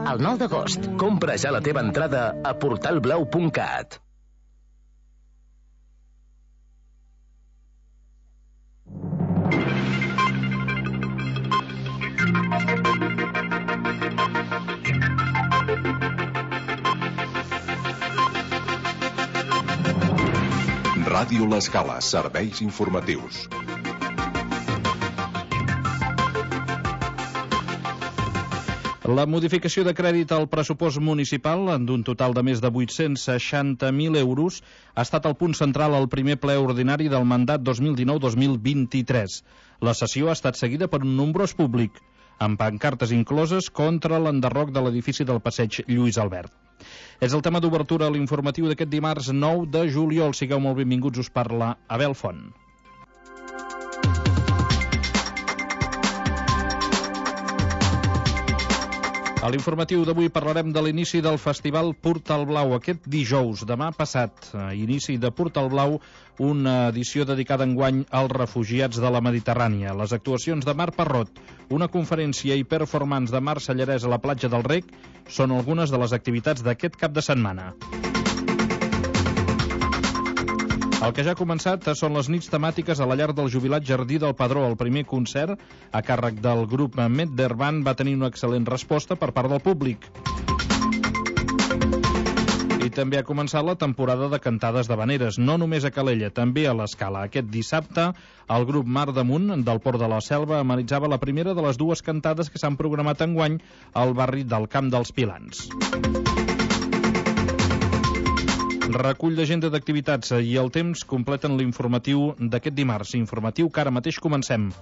el 9 d'agost. Compra ja la teva entrada a portalblau.cat. Ràdio L'Escala, serveis informatius. La modificació de crèdit al pressupost municipal, d'un total de més de 860.000 euros, ha estat el punt central al primer ple ordinari del mandat 2019-2023. La sessió ha estat seguida per un nombrós públic, amb pancartes incloses contra l'enderroc de l'edifici del passeig Lluís Albert. És el tema d'obertura a l'informatiu d'aquest dimarts 9 de juliol. Sigueu molt benvinguts, us parla Abel Font. A l'informatiu d'avui parlarem de l'inici del Festival Portal Blau aquest dijous, demà passat. Inici de Portal Blau, una edició dedicada enguany als refugiats de la Mediterrània. Les actuacions de Marc Parrot, una conferència i performance de Marc Sallarès a la platja del Rec són algunes de les activitats d'aquest cap de setmana. El que ja ha començat són les nits temàtiques a la llar del jubilat Jardí del Padró. El primer concert, a càrrec del grup Medderban, va tenir una excel·lent resposta per part del públic. I també ha començat la temporada de cantades d'havaneres, no només a Calella, també a l'Escala. Aquest dissabte, el grup Mar Damunt, del Port de la Selva, amenitzava la primera de les dues cantades que s'han programat enguany al barri del Camp dels Pilans. Recull d'agenda d'activitats i el temps completen l'informatiu d'aquest dimarts. Informatiu que ara mateix comencem.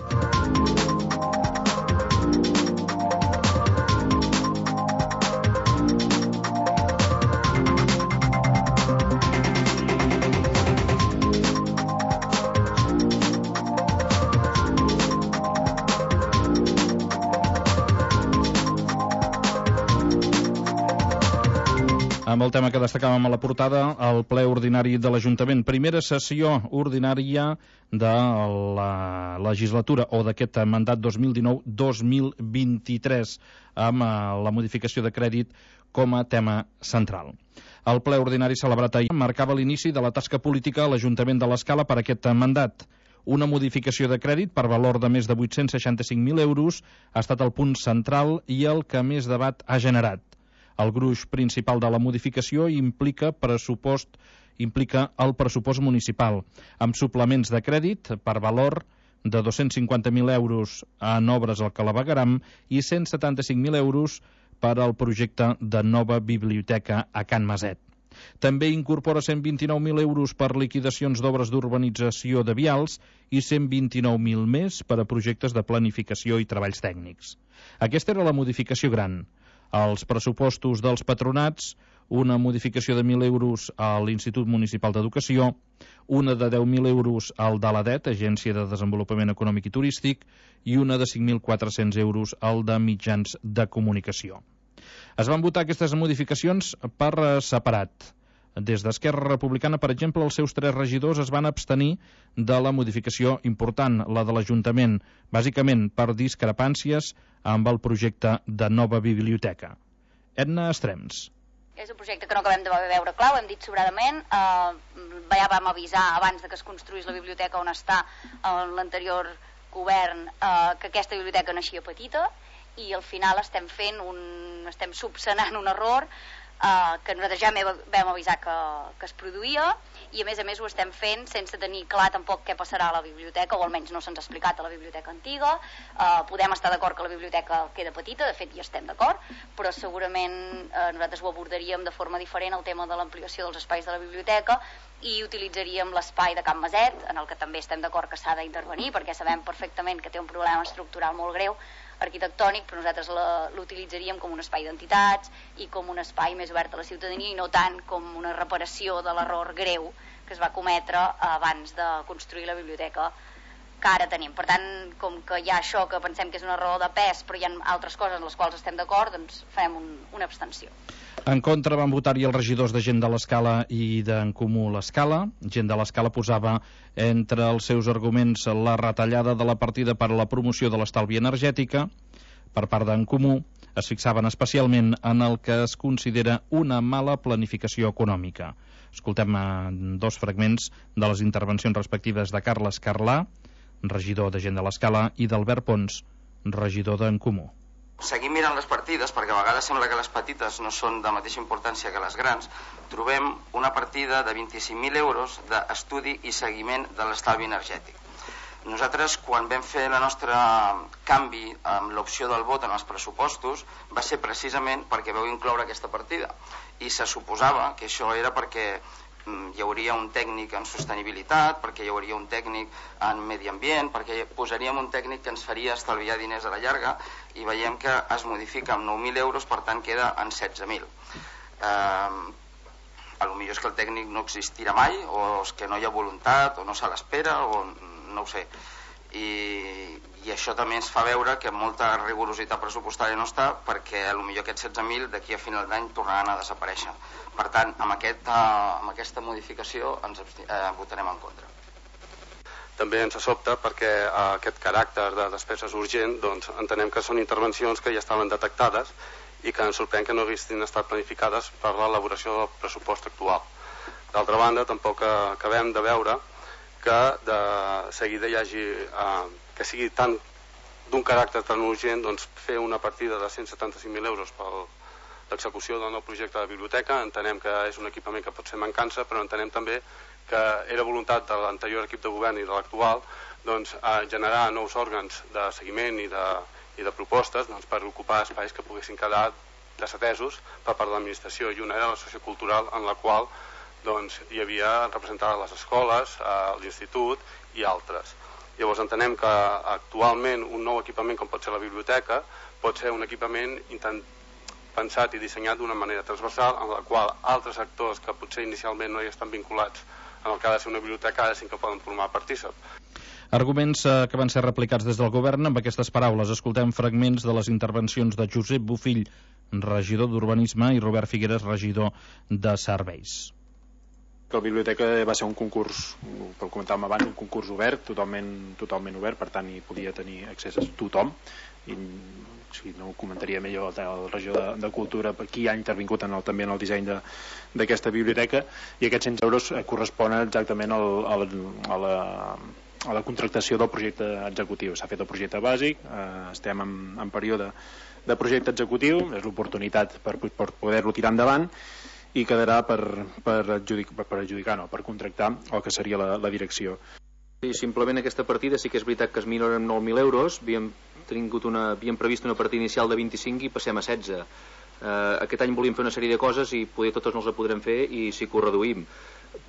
Amb el tema que destacàvem a la portada, el ple ordinari de l'Ajuntament. Primera sessió ordinària de la legislatura o d'aquest mandat 2019-2023 amb la modificació de crèdit com a tema central. El ple ordinari celebrat ahir marcava l'inici de la tasca política a l'Ajuntament de l'Escala per aquest mandat. Una modificació de crèdit per valor de més de 865.000 euros ha estat el punt central i el que més debat ha generat. El gruix principal de la modificació implica el pressupost municipal, amb suplements de crèdit per valor de 250.000 euros en obres al clavegueram i 175.000 euros per al projecte de nova biblioteca a Can Maset. També incorpora 129.000 euros per liquidacions d'obres d'urbanització de vials i 129.000 més per a projectes de planificació i treballs tècnics. Aquesta era la modificació gran. Els pressupostos dels patronats, una modificació de 1.000 euros a l'Institut Municipal d'Educació, una de 10.000 euros al de l'ADET, Agència de Desenvolupament Econòmic i Turístic, i una de 5.400 euros al de Mitjans de Comunicació. Es van votar aquestes modificacions per separat. Des d'Esquerra Republicana, per exemple, els seus 3 regidors es van abstenir de la modificació important, la de l'Ajuntament, bàsicament per discrepàncies amb el projecte de nova biblioteca. Edna Estrems. És un projecte que no acabem de veure clar, ho hem dit sobradament. Ja vam avisar abans de que es construís la biblioteca on està l'anterior govern que aquesta biblioteca naixia petita i al final estem subsanant un error que nosaltres ja vam avisar que es produïa i a més ho estem fent sense tenir clar tampoc què passarà a la biblioteca, o almenys no se'ns ha explicat a la biblioteca antiga. Podem estar d'acord que la biblioteca queda petita, de fet ja estem d'acord, però segurament nosaltres ho abordaríem de forma diferent el tema de l'ampliació dels espais de la biblioteca i utilitzaríem l'espai de Can Maset, en el que també estem d'acord que s'ha d'intervenir perquè sabem perfectament que té un problema estructural molt greu arquitectònic, però nosaltres l'utilitzaríem com un espai d'entitats i com un espai més obert a la ciutadania i no tant com una reparació de l'error greu que es va cometre abans de construir la biblioteca que ara tenim. Per tant, com que hi ha això que pensem que és un error de pes però hi ha altres coses en les quals estem d'acord, doncs farem una abstenció. En contra van votar-hi els regidors de Gent de l'Escala i d'en Comú l'Escala. Gent de l'Escala posava entre els seus arguments la retallada de la partida per a la promoció de l'estalvi energètica per part d'en Comú. es fixaven especialment en el que es considera una mala planificació econòmica. Escoltem dos fragments de les intervencions respectives de Carles Carlà, regidor de Gent de l'Escala, i d'Albert Pons, regidor d'En Comú. Seguim mirant les partides, perquè a vegades sembla que les petites no són de mateixa importància que les grans. Trobem una partida de 25.000 euros d'estudi i seguiment de l'estalvi energètic. Nosaltres, quan vam fer el nostre canvi amb l'opció del vot en els pressupostos, va ser precisament perquè vau incloure aquesta partida. I se suposava que això era perquè hi hauria un tècnic en sostenibilitat, perquè hi hauria un tècnic en medi ambient, perquè posaríem un tècnic que ens faria estalviar diners a la llarga, i veiem que es modifica amb 9.000 euros, per tant queda en 16.000. Potser és que el tècnic no existirà mai, o és que no hi ha voluntat, o no se l'espera, o no ho sé. I això també ens fa veure que molta rigorositat pressupostària no està, perquè potser aquests 16.000 d'aquí a final d'any tornaran a desaparèixer. Per tant, amb aquesta modificació ens votarem en contra. També ens sobta perquè aquest caràcter de despeses urgent, doncs entenem que són intervencions que ja estaven detectades i que ens sorprèn que no haguessin estat planificades per l'elaboració del pressupost actual. D'altra banda, tampoc acabem de veure que de seguida hi hagi que sigui tan d'un caràcter tan urgent, doncs fer una partida de 175.000 euros per l'execució del nou projecte de biblioteca. Entenem que és un equipament que pot ser mancança, però entenem també que era voluntat de l'anterior equip de govern i de l'actual doncs, generar nous òrgans de seguiment i de propostes doncs, per ocupar espais que poguessin quedar desatesos per part de l'administració, i una era l'associació cultural en la qual doncs, hi havia representades les escoles, l'institut i altres. Llavors entenem que actualment un nou equipament com pot ser la biblioteca pot ser un equipament pensat i dissenyat d'una manera transversal, en la qual altres actors que potser inicialment no hi estan vinculats en el que ha de ser una biblioteca ara sí que poden formar partícip. Arguments que van ser replicats des del govern. Amb aquestes paraules escoltem fragments de les intervencions de Josep Bofill, regidor d'Urbanisme, i Robert Figueres, regidor de Serveis. La biblioteca va ser un concurs, pel comentàvem abans, un concurs obert, totalment obert, per tant hi podia tenir accés a tothom, i si no ho comentaria millor el regidor de Cultura, qui ha intervingut també en el disseny d'aquesta biblioteca, i aquests 100 euros corresponen exactament a la contractació del projecte executiu. S'ha fet el projecte bàsic, estem en període de projecte executiu, és l'oportunitat per poder-lo tirar endavant, i quedarà per contractar el que seria la direcció. Sí, simplement aquesta partida sí que és veritat que es minoren 9.000 euros, havíem previst una partida inicial de 25 i passem a 16. Aquest any volíem fer una sèrie de coses i poder totes no les podrem fer i sí que ho reduïm,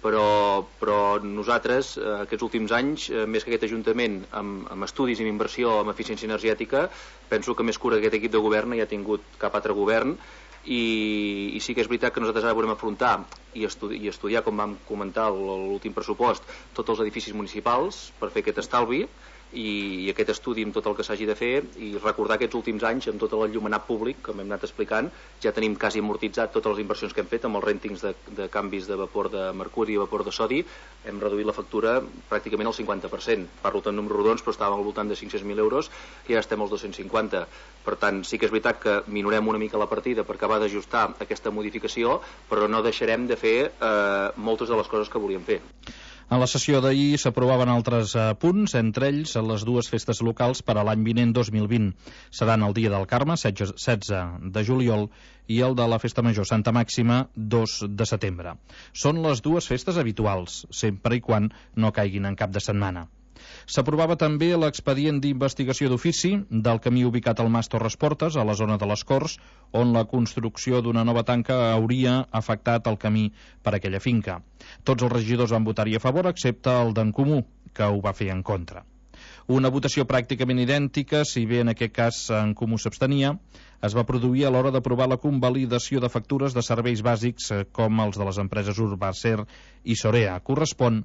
però nosaltres aquests últims anys, més que aquest Ajuntament amb estudis i amb inversió en eficiència energètica, penso que més cura que aquest equip de govern no hi ha tingut cap altre govern. I sí que és veritat que nosaltres ara volem afrontar i estudiar, com vam comentar l'últim pressupost, tots els edificis municipals per fer aquest estalvi, i aquest estudi amb tot el que s'hagi de fer, i recordar aquests últims anys amb tot l'enllumenat públic, com hem anat explicant, ja tenim quasi amortitzat totes les inversions que hem fet amb els rèntings de canvis de vapor de mercuri i vapor de sodi. Hem reduït la factura pràcticament al 50%, parlo de números rodons, però estàvem al voltant de 500.000 euros i ja estem als 250. Per tant, sí que és veritat que minorem una mica la partida per acabar d'ajustar aquesta modificació, però no deixarem de fer moltes de les coses que volíem fer. En la sessió d'ahir s'aprovaven altres punts, entre ells les dues festes locals per a l'any vinent 2020. Seran el Dia del Carme, 16 de juliol, i el de la Festa Major Santa Màxima, 2 de setembre. Són les dues festes habituals, sempre i quan no caiguin en cap de setmana. S'aprovava també l'expedient d'investigació d'ofici del camí ubicat al Mas Torres Portes, a la zona de les Corts, on la construcció d'una nova tanca hauria afectat el camí per aquella finca. Tots els regidors van votar-hi a favor, excepte el d'En Comú, que ho va fer en contra. Una votació pràcticament idèntica, si bé en aquest cas En Comú s'abstenia, es va produir a l'hora d'aprovar la convalidació de factures de serveis bàsics com els de les empreses Urbacer i Sorea. Correspon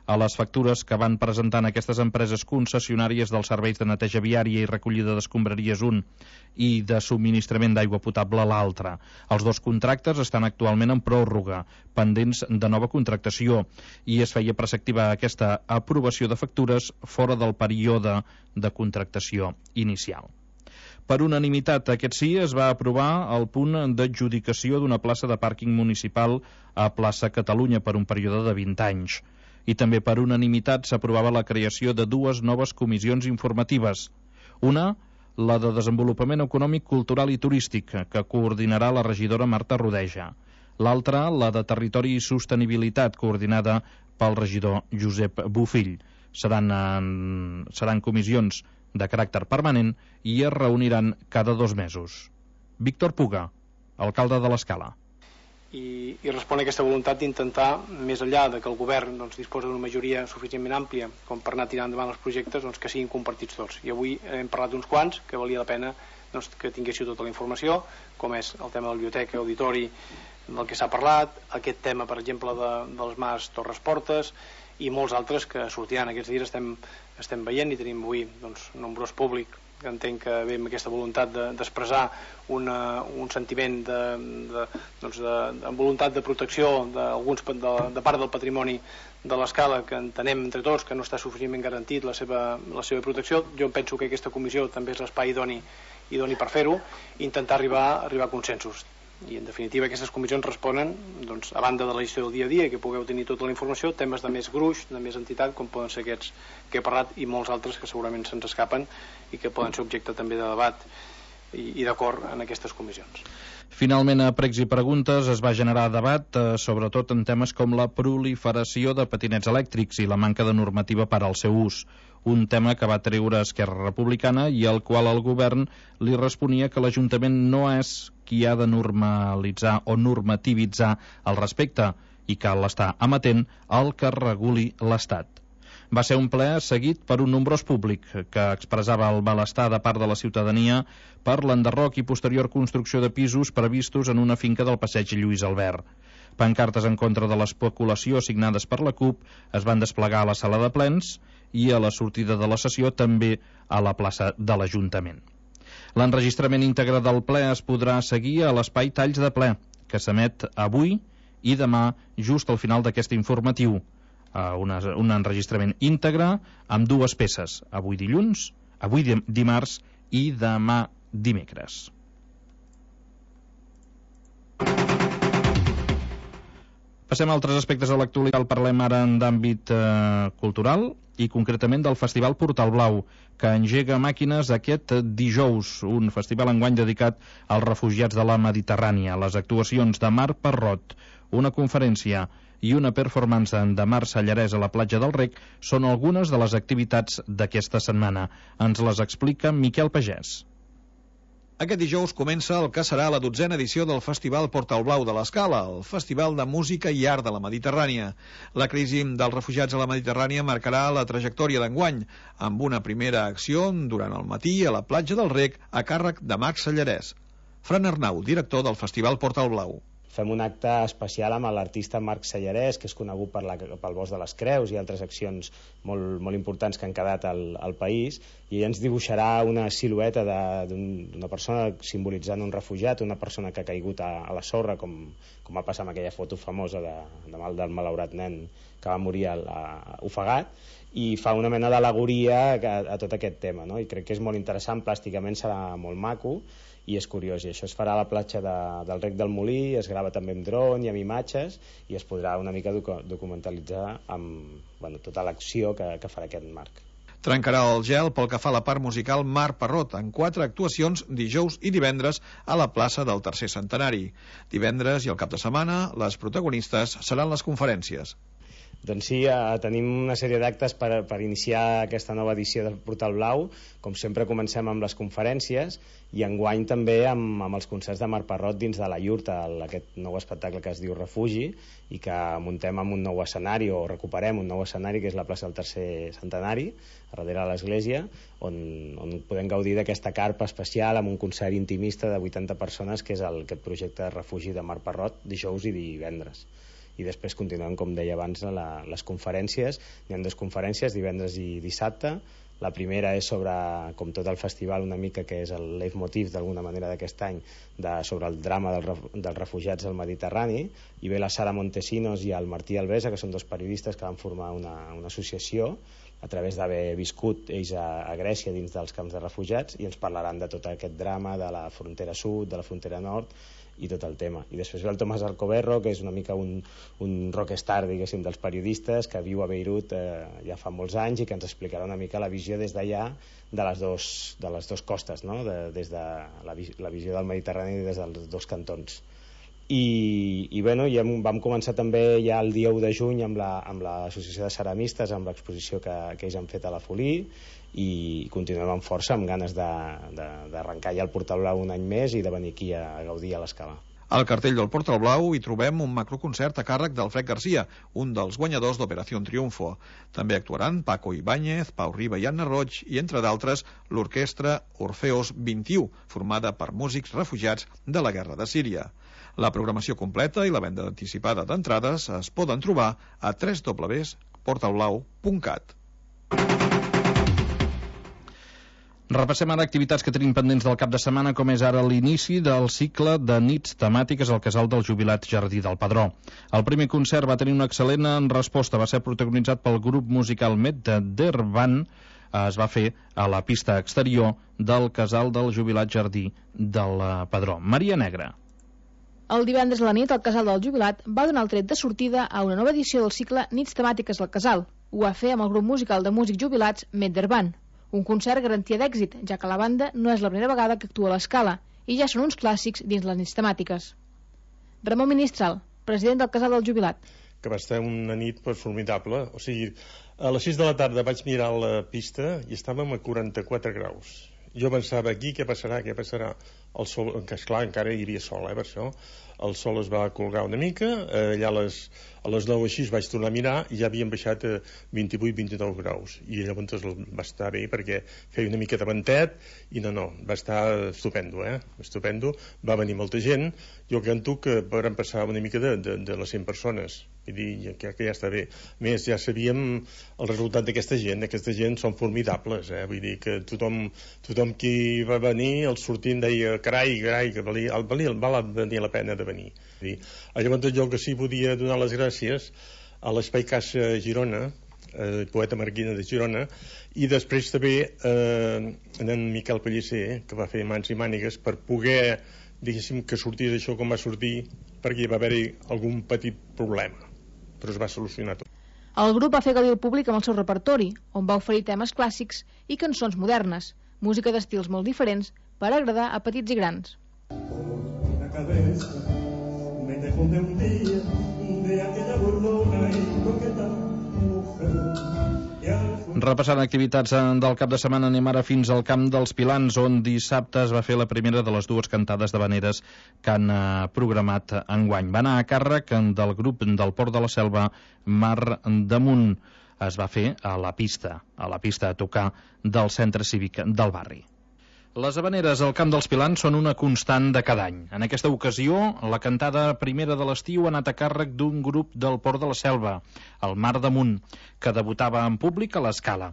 a les factures que van presentant aquestes empreses concessionàries dels serveis de neteja viària i recollida d'escombraries un i de subministrament d'aigua potable l'altre. Els dos contractes estan actualment en pròrroga, pendents de nova contractació, i es feia preceptiva aquesta aprovació de factures fora del període de contractació inicial. Per unanimitat, aquest sí, es va aprovar el punt d'adjudicació d'una plaça de pàrquing municipal a Plaça Catalunya per un període de 20 anys. I també per unanimitat s'aprovava la creació de 2 noves comissions informatives. Una, la de Desenvolupament Econòmic, Cultural i Turístic, que coordinarà la regidora Marta Rodeja. L'altra, la de Territori i Sostenibilitat, coordinada pel regidor Josep Bofill. Seran comissions de caràcter permanent i es reuniran cada 2 mesos. Víctor Puga, alcalde de l'Escala. I respon a aquesta voluntat d'intentar, més enllà de que el govern disposa d'una majoria suficientment àmplia com per anar tirant endavant els projectes, que siguin compartits tots. I avui hem parlat d'uns quants que valia la pena que tinguéssiu tota la informació, com és el tema de la biblioteca, auditori, del que s'ha parlat, aquest tema, per exemple, dels Mas Torres Portes, i molts altres que sortiran aquests dies. Estem veient i tenim avui nombrós públic que entenc que ve amb aquesta voluntat d'expressar un sentiment de voluntat de protecció de part del patrimoni de l'Escala, que entenem entre tots que no està suficientment garantit la seva protecció. Jo penso que aquesta comissió també és l'espai idoni per fer-ho, intentar arribar a consensos. I en definitiva aquestes comissions responen, a banda de la gestió del dia a dia, que pugueu tenir tota la informació, temes de més gruix, de més entitat, com poden ser aquests que he parlat, i molts altres que segurament se'ns escapen i que poden ser objecte també de debat i d'acord en aquestes comissions. Finalment, a pregs i preguntes es va generar debat, sobretot en temes com la proliferació de patinets elèctrics i la manca de normativa per al seu ús. Un tema que va treure Esquerra Republicana i al qual el govern li responia que l'Ajuntament no és qui ha de normalitzar o normativitzar al respecte i cal estar amatent al que reguli l'Estat. Va ser un ple seguit per un nombrós públic que expressava el malestar de part de la ciutadania per l'enderroc i posterior construcció de pisos previstos en una finca del passeig Lluís Albert. Pancartes en contra de l'especulació signades per la CUP es van desplegar a la sala de plens i a la sortida de la sessió també a la plaça de l'Ajuntament. L'enregistrament íntegre del ple es podrà seguir a l'espai Talls de Ple, que s'emet avui i demà just al final d'aquest informatiu. Un enregistrament íntegre amb 2 peces, avui dilluns, avui dimarts i demà dimecres. Passem a altres aspectes de l'actualitat. Parlem ara d'àmbit cultural i concretament del Festival Portal Blau, que engega màquines aquest dijous, un festival enguany dedicat als refugiats de la Mediterrània. Les actuacions de Mar Parrot, una conferència i una performance de Mar Sallarès a la platja del Rec són algunes de les activitats d'aquesta setmana. Ens les explica Miquel Pagès. Aquest dijous comença el que serà la 12a edició del Festival Portal Blau de l'Escala, el Festival de Música i Art de la Mediterrània. La crisi dels refugiats a la Mediterrània marcarà la trajectòria d'enguany, amb una primera acció durant el matí a la platja del Rec a càrrec de Marc Sallarès. Fran Arnau, director del Festival Portal Blau. Fem un acte especial amb l'artista Marc Sallarès, que és conegut pel Bosc de les Creus i altres accions molt importants que han quedat al país, i ell ens dibuixarà una silueta d'una persona simbolitzant un refugiat, una persona que ha caigut a la sorra, com va passar amb aquella foto famosa del malaurat nen que va morir ofegat, i fa una mena d'al·legoria a tot aquest tema, no? I crec que és molt interessant, plàsticament serà molt maco i és curiós, i això es farà a la platja del Rec del Molí, es grava també amb dron i amb imatges, i es podrà una mica documentalitzar amb tota l'acció que farà aquest Marc. Trencarà el gel pel que fa a la part musical Mar Parrot, en 4 actuacions dijous i divendres a la plaça del Tercer Centenari. Divendres i el cap de setmana, les protagonistes seran les conferències. Doncs sí, tenim una sèrie d'actes per iniciar aquesta nova edició del Portal Blau. Com sempre comencem amb les conferències i enguany també amb els concerts de Mar Parrot dins de la Iurta, aquest nou espectacle que es diu Refugi, i que muntem amb un nou escenari, o recuperem un nou escenari, que és la plaça del Tercer Centenari, a darrere de l'església, on podem gaudir d'aquesta carpa especial amb un concert intimista de 80 persones, que és aquest projecte de Refugi de Mar Parrot, dijous i divendres. I després continuem, com deia abans, les conferències. Hi ha 2 conferències, divendres i dissabte, La primera és sobre, com tot el festival, una mica que és el leitmotiv d'alguna manera d'aquest any, sobre el drama dels refugiats al Mediterrani, i ve la Sara Montesinos i el Martí Alvesa, que són dos periodistes que van formar una associació a través d'haver viscut ells a Grècia dins dels camps de refugiats, i ens parlaran de tot aquest drama de la frontera sud, de la frontera nord i tot el tema. I després ve el Tomàs Alcoberro, que és una mica un rockstar, diguéssim, dels periodistes, que viu a Beirut ja fa molts anys i que ens explicarà una mica la visió des d'allà de les dues costes, no? Des de la visió del Mediterrani i des dels dos cantons. I bueno, ja vam començar també ja el dia 1 de juny amb l'associació de ceramistes, amb l'exposició que ells han fet a la Folí, i continuem amb força, amb ganes d'arrencar ja el Portal Blau un any més i de venir aquí a gaudir a l'Escala. Al cartell del Portal Blau hi trobem un macroconcert a càrrec d'Alfred Garcia, un dels guanyadors d'Operació Triunfo. També actuaran Paco Ibáñez, Pau Riba i Anna Roig i, entre d'altres, l'orquestra Orfeos 21, formada per músics refugiats de la guerra de Síria. La programació completa i la venda anticipada d'entrades es poden trobar a www.portalblau.cat. Repassem ara activitats que tenim pendents del cap de setmana, com és ara l'inici del cicle de nits temàtiques al Casal del Jubilat Jardí del Padró. El primer concert va tenir una excel·lent resposta, va ser protagonitzat pel grup musical Meddervan, es va fer a la pista exterior del Casal del Jubilat Jardí del Padró. Maria Negra. El divendres a la nit, el Casal del Jubilat va donar el tret de sortida a una nova edició del cicle Nits temàtiques al Casal. Ho va fer amb el grup musical de músics jubilats Meddervan. Un concert garantia d'èxit, ja que la banda no és la primera vegada que actua a l'Escala i ja són uns clàssics dins les nits temàtiques. Ramon Ministral, president del Casal del Jubilat. Que va estar una nit formidable. O sigui, a les 6 de la tarda vaig mirar la pista i estàvem a 44 graus. Jo pensava, aquí què passarà? El sol, que esclar, encara hi havia sol, per això. El sol es va colgar una mica, allà a les 9 així vaig tornar a mirar i ja havien baixat a 28-29 graus. I llavors va estar bé perquè feia una mica de ventet i no, va estar estupendo, estupendo. Va venir molta gent. Jo canto que vam passar una mica de les 100 persones. Vull dir, que ja està bé. A més, ja sabíem el resultat d'aquesta gent són formidables, vull dir que tothom qui va venir, el sortint deia, carai, que val venir la pena de venir. Llavors jo que sí podia donar les gràcies a l'Espai Caixa Girona, poeta Marquina de Girona, i després també en Miquel Pellicer, que va fer mans i mànigues per poder, diguéssim, que sortís això com va sortir, perquè hi va haver-hi algun petit problema, però es va solucionar tot. El grup va fer gaudir el públic amb el seu repertori, on va oferir temes clàssics i cançons modernes, música d'estils molt diferents per agradar a petits i grans. Una cabeza me dejó de un día de aquella burlona y coqueta mujer. Repassant activitats del cap de setmana, anem ara fins al Camp dels Pilans, on dissabte es va fer la primera de les dues cantades d'havaneres que han programat enguany. Va anar a càrrec del grup del Port de la Selva, Mar damunt. Es va fer a la pista a tocar del centre cívic del barri. Les havaneres al Camp dels Pilans són una constant de cada any. En aquesta ocasió, la cantada primera de l'estiu ha anat a càrrec d'un grup del Port de la Selva, el Mar damunt, que debutava en públic a l'Escala.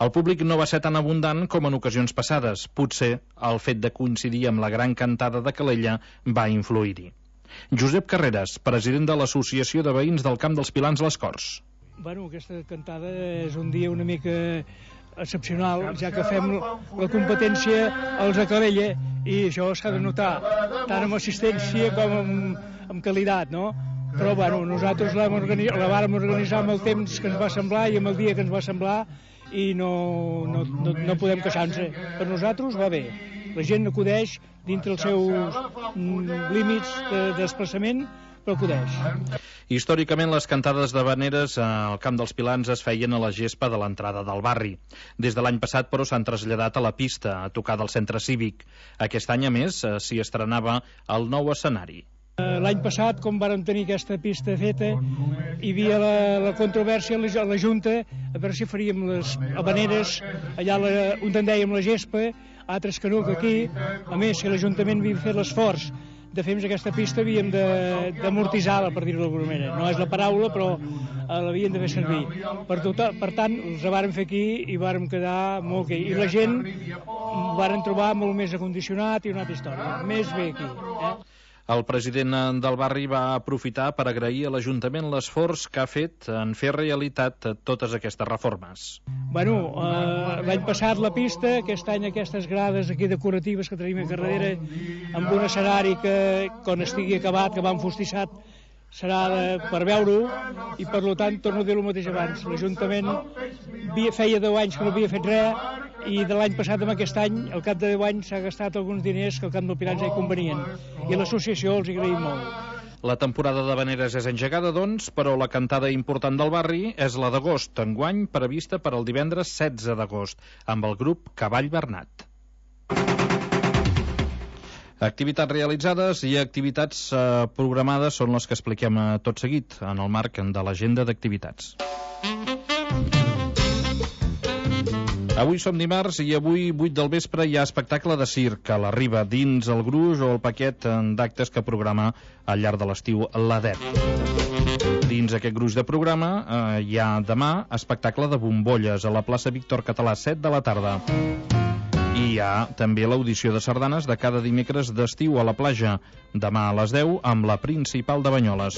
El públic no va ser tan abundant com en ocasions passades. Potser el fet de coincidir amb la gran cantada de Calella va influir-hi. Josep Carreras, president de l'Associació de Veïns del Camp dels Pilans Les Corts. Bueno, aquesta cantada és un dia una mica excepcional, ja que fem la competència als de Calella, i això s'ha de notar tant amb assistència com amb qualitat, no? Però bueno, nosaltres la vàrem organitzar amb el temps que ens va semblar i amb el dia que ens va semblar, i no podem queixar-nos. Per nosaltres va bé, la gent acudeix dintre els seus límits de desplaçament, però acudeix. Històricament, les cantades d'havaneres al Camp dels Pilans es feien a la gespa de l'entrada del barri. Des de l'any passat, però, s'han traslladat a la pista, a tocar del centre cívic. Aquest any, a més, s'hi estrenava el nou escenari. L'any passat, com vàrem tenir aquesta pista feta, hi havia la controvèrsia a la Junta a veure si faríem les havaneres allà on en dèiem la gespa, altres que no, que aquí. A més, si l'Ajuntament havia fet l'esforç de fer aquesta pista havíem d'amortitzar-la, per dir-ho d'alguna manera. No és la paraula, però l'havíem de fer servir. Per tant, els vàrem fer aquí i vàrem quedar molt bé. I la gent ho varen trobar molt més acondicionat i una altra història. Més bé aquí. El president del barri va aprofitar per agrair a l'Ajuntament l'esforç que ha fet en fer realitat totes aquestes reformes. Bueno, l'any passat la pista, aquest any aquestes grades aquí decoratives que tenim a darrere, amb un escenari que quan estigui acabat, que va enfostissat, serà per veure-ho, i per tant torno a dir el mateix abans. L'Ajuntament feia 10 anys que no havia fet res, i de l'any passat amb aquest any, al cap de 10 anys, s'ha gastat alguns diners que al Camp del Pilar ja hi convenien, i a l'associació els agraïm molt. La temporada d'havaneres és engegada, doncs, però la cantada important del barri és la d'agost, enguany prevista per al divendres 16 d'agost, amb el grup Cavall Bernat. Activitats realitzades i activitats programades són les que expliquem tot seguit en el marc de l'agenda d'activitats. Avui som dimarts i avui, 8 del vespre, hi ha espectacle de circ a la Riba, dins el gruix o el paquet d'actes que programa al llarg de l'estiu l'ADEP. Dins aquest gruix de programa hi ha demà espectacle de bombolles a la plaça Víctor Català, 7 de la tarda. I hi ha també l'audició de sardanes de cada dimecres d'estiu a la platja, demà a les 10 amb la Principal de Banyoles.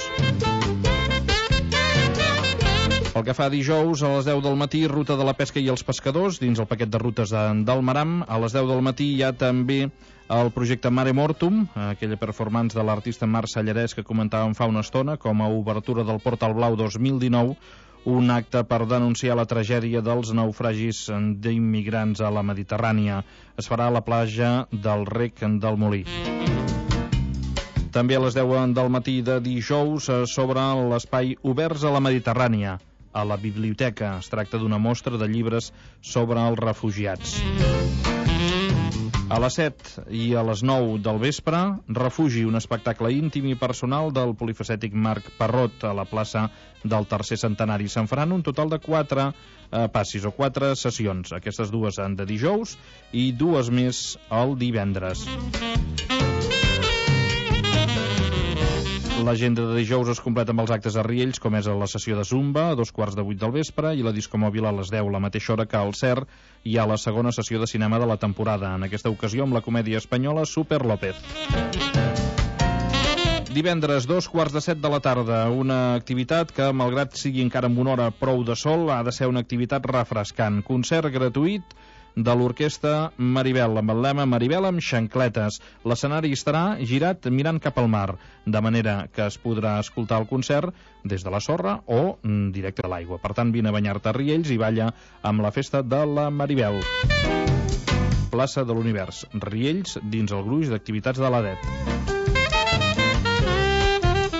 Pel que fa a dijous, a les 10 del matí, ruta de la pesca i els pescadors, dins el paquet de rutes del Maram. A les 10 del matí hi ha també el projecte Mare Mortum, aquella performance de l'artista Marc Sallarès que comentàvem fa una estona, com a obertura del Portal Blau 2019, un acte per denunciar la tragèdia dels naufragis d'immigrants a la Mediterrània. Es farà a la platja del Rec del Molí. També a les 10 del matí de dijous s'obre l'espai Oberts a la Mediterrània, a la biblioteca. Es tracta d'una mostra de llibres sobre els refugiats. A les 7 i a les 9 del vespre, Refugi, un espectacle íntim i personal del polifacètic Marc Parrot a la plaça del Tercer Centenari. Se'n faran un total de 4 passis o 4 sessions. Aquestes dues de dijous i 2 més el divendres. L'agenda de dijous es completa amb els actes a Riells, com és la sessió de Zumba a 2:45 del vespre i la discomòbil a les 10, la mateixa hora que al CER hi ha la segona sessió de cinema de la temporada, en aquesta ocasió amb la comèdia espanyola Super López. Divendres, 2:15 de la tarda, una activitat que, malgrat sigui encara amb una hora prou de sol, ha de ser una activitat refrescant. Concert gratuït de l'orquestra Maribel, amb el lema Maribel amb xancletes. L'escenari estarà girat mirant cap al mar, de manera que es podrà escoltar el concert des de la sorra o directe a l'aigua. Per tant, vine a banyar-te a Riells i balla amb la festa de la Maribel. Plaça de l'Univers, Riells, dins el gruix d'activitats de l'ADEP.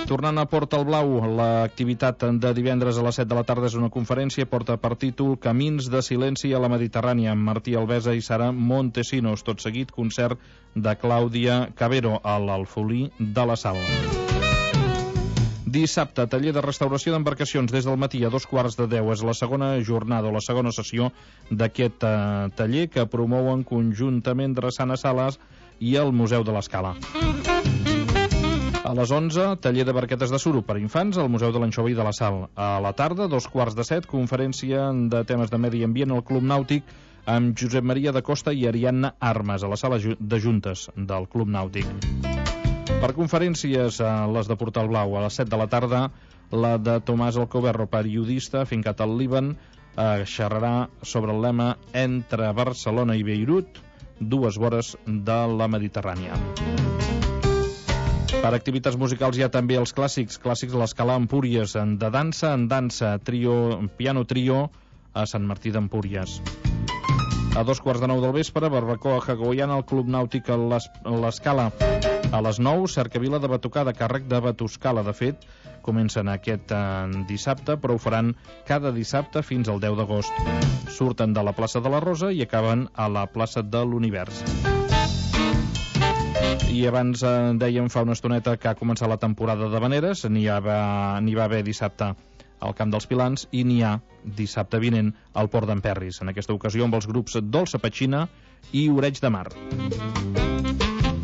Tornant a Portal Blau, l'activitat de divendres a les 7 de la tarda és una conferència, porta per títol Camins de silenci a la Mediterrània, amb Martí Alvesa i Sara Montesinos. Tot seguit, concert de Clàudia Cabero a l'Alfolí de la Sal. Dissabte, taller de restauració d'embarcacions des del matí a 2:15. És la segona jornada o la segona sessió d'aquest taller que promouen conjuntament Drassana Sales i el Museu de l'Escala. A les 11, taller de barquetes de suro per infants al Museu de l'Anxova i de la Sal. A la tarda, 2:15, conferència de temes de medi ambient al Club Nàutic amb Josep Maria da Costa i Ariadna Armas a la sala de juntes del Club Nàutic. Per conferències, les de Portal Blau, a les 7 de la tarda, la de Tomàs Alcoberro, periodista afincat al Líban, xerrarà sobre el lema Entre Barcelona i Beirut, 2 vores de la Mediterrània. Per activitats musicals hi ha també els clàssics a l'Escala Empúries, de dansa en dansa, piano trio a Sant Martí d'Empúries. A 2:15 del vespre, barbacoa hawaiana al Club Nàutic a l'Escala. A les 9, cercavila de batucada a càrrec de Batuscala. De fet, comencen aquest dissabte, però ho faran cada dissabte fins al 10 d'agost. Surten de la plaça de la Rosa i acaben a la plaça de l'Univers. I abans dèiem fa una estoneta que ha començat la temporada d'havaneres, n'hi va haver dissabte al Camp dels Pilans i n'hi ha dissabte vinent al Port d'Emperris, en aquesta ocasió amb els grups Dolça Petxina i Oreig de Mar.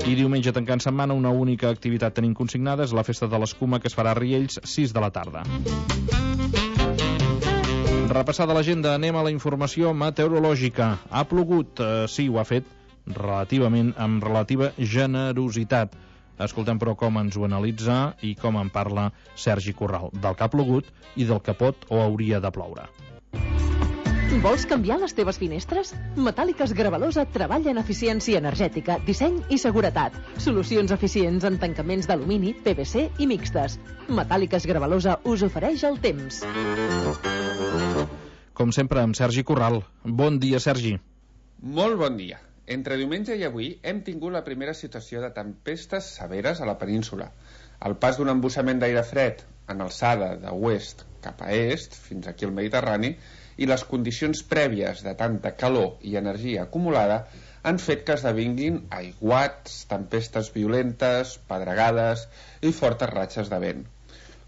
I diumenge tancant setmana, una única activitat tenim consignada, és la festa de l'escuma, que es farà a Riells, 6 de la tarda. Repassada l'agenda, anem a la informació meteorològica. Ha plogut? Sí, ho ha fet relativament, amb relativa generositat. Escoltem, però, com ens ho analitza i com en parla Sergi Corral, del que ha plogut i del que pot o hauria de ploure. Vols canviar les teves finestres? Metàl·liques Gravalosa treballa en eficiència energètica, disseny i seguretat. Solucions eficients en tancaments d'alumini, PVC i mixtes. Metàl·liques Gravalosa us ofereix el temps. Com sempre, amb Sergi Corral. Bon dia, Sergi. Molt bon dia. Entre diumenge i avui hem tingut la primera situació de tempestes severes a la península. El pas d'un embussament d'aire fred en alçada de oest cap a est, fins aquí al Mediterrani, i les condicions prèvies de tanta calor i energia acumulada han fet que esdevinguin aiguats, tempestes violentes, pedregades i fortes ratxes de vent.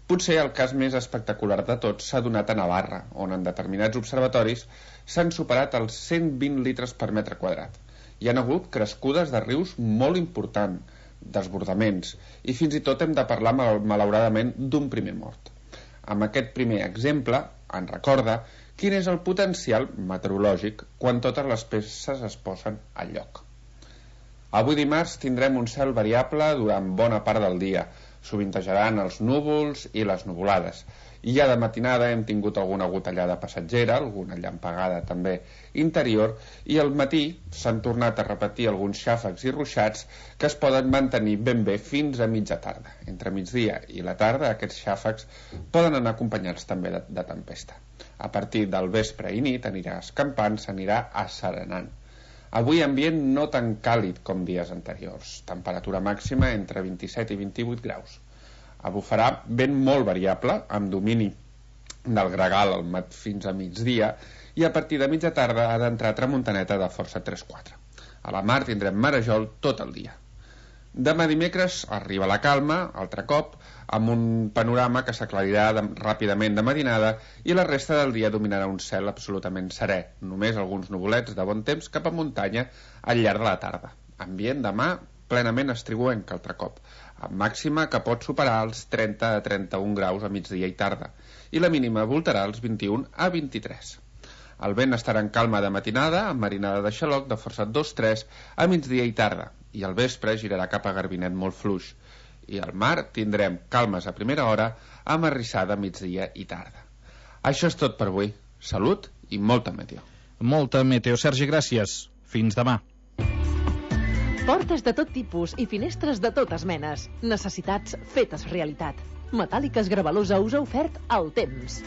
Potser el cas més espectacular de tots s'ha donat a Navarra, on en determinats observatoris s'han superat els 120 litres per metre quadrat. Hi ha hagut crescudes de rius molt important, desbordaments, i fins i tot hem de parlar malauradament d'un primer mort. Amb aquest primer exemple en recorda quin és el potencial meteorològic quan totes les peces es posen al lloc. Avui dimarts tindrem un cel variable durant bona part del dia. Sovintejaran els núvols i les nuvolades. I ja de matinada hem tingut alguna gotellada passatgera, alguna llampegada també interior, i al matí s'han tornat a repetir alguns xàfecs i ruixats que es poden mantenir ben bé fins a mitja tarda. Entre migdia i la tarda aquests xàfecs poden anar acompanyats també de tempesta. A partir del vespre i nit anirà escampant, s'anirà asserenant. Avui ambient no tan càlid com dies anteriors, temperatura màxima entre 27 i 28 graus. Bufarà vent molt variable, amb domini del gregal fins a migdia, i a partir de mitja tarda ha d'entrar tramuntaneta de força 3-4. A la mar tindrem marejol tot el dia. Demà dimecres arriba la calma, altre cop, amb un panorama que s'aclarirà ràpidament de matinada i la resta del dia dominarà un cel absolutament serè, només alguns nuvolets de bon temps cap a muntanya al llarg de la tarda. Ambient demà plenament estriguenc altre cop, amb màxima que pot superar els 30 a 31 graus a migdia i tarda, i la mínima voltarà els 21 a 23. El vent estarà en calma de matinada, amb marinada de xaloc de força 2-3 a migdia i tarda, i al vespre girarà cap a Garbinet molt fluix. I al mar tindrem calmes a primera hora, amb arrissada a migdia i tarda. Això és tot per avui. Salut i molta meteo. Molta meteo. Sergi, gràcies. Fins demà. Portes de tot tipus i finestres de totes menes. Necessitats fetes realitat. Metàl·liques Gravalosa us ha ofert el temps.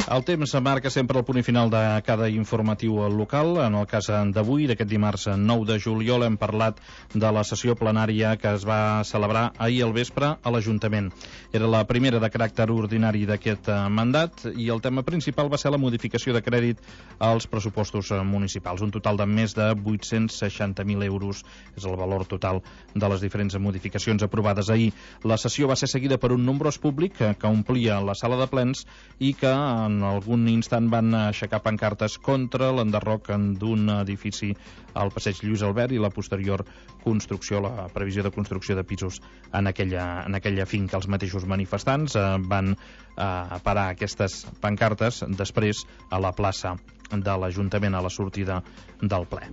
El temps marca sempre el punt final de cada informatiu local. En el cas d'avui, d'aquest dimarts 9 de juliol, hem parlat de la sessió plenària que es va celebrar ahir al vespre a l'Ajuntament. Era la primera de caràcter ordinari d'aquest mandat i el tema principal va ser la modificació de crèdit als pressupostos municipals. Un total de més de 860.000 euros és el valor total de les diferents modificacions aprovades ahir. La sessió va ser seguida per un nombrós públic que omplia la sala de plens i que en algun instant van aixecar pancartes contra l'enderroc d'un edifici al passeig Lluís Albert i la posterior construcció, la previsió de construcció de pisos en aquella finca. Els mateixos manifestants van parar aquestes pancartes després a la plaça de l'Ajuntament a la sortida del ple.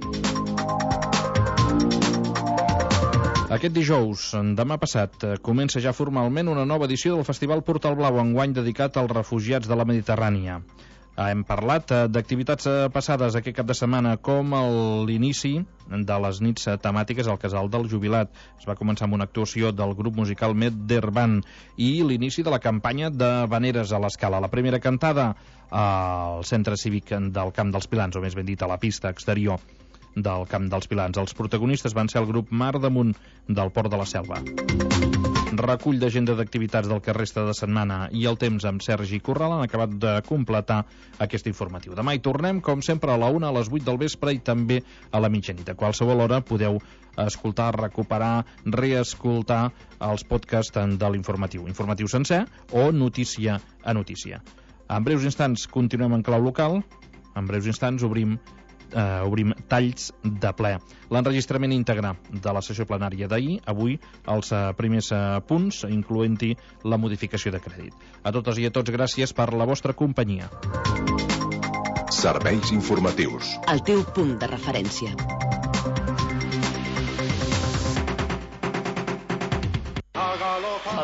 Aquest dijous, demà passat, comença ja formalment una nova edició del Festival Portal Blau, enguany dedicat als refugiats de la Mediterrània. Hem parlat d'activitats passades aquest cap de setmana, com l'inici de les nits temàtiques al Casal del Jubilat. Es va començar amb una actuació del grup musical Medderban i l'inici de la campanya de Vaneres a l'Escala. La primera cantada al centre cívic del Camp dels Pilans, o més ben dit a la pista exterior del Camp dels Pilans. Els protagonistes van ser el grup Mar damunt del Port de la Selva. Recull d'agenda d'activitats del que resta de setmana i el temps amb Sergi Corral han acabat de completar aquest informatiu. Demà hi tornem, com sempre, a la 1, a les 8 del vespre i també a la mitjanit. A qualsevol hora podeu escoltar, recuperar, reescoltar els podcasts de l'informatiu. Informatiu sencer o notícia a notícia. En breus instants continuem en clau local. En breus instants obrim talls de ple. L'enregistrament íntegre de la sessió plenària d'ahir, avui els primers punts, incloent-hi la modificació de crèdit. A totes i a tots, gràcies per la vostra companyia. Serveis informatius. El teu punt de referència.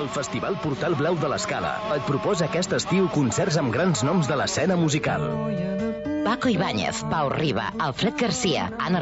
El Festival Portal Blau de l'Escala et proposa aquest estiu concerts amb grans noms de l'escena musical. Paco Ibáñez, Pau Riba, Alfred Garcia, Anna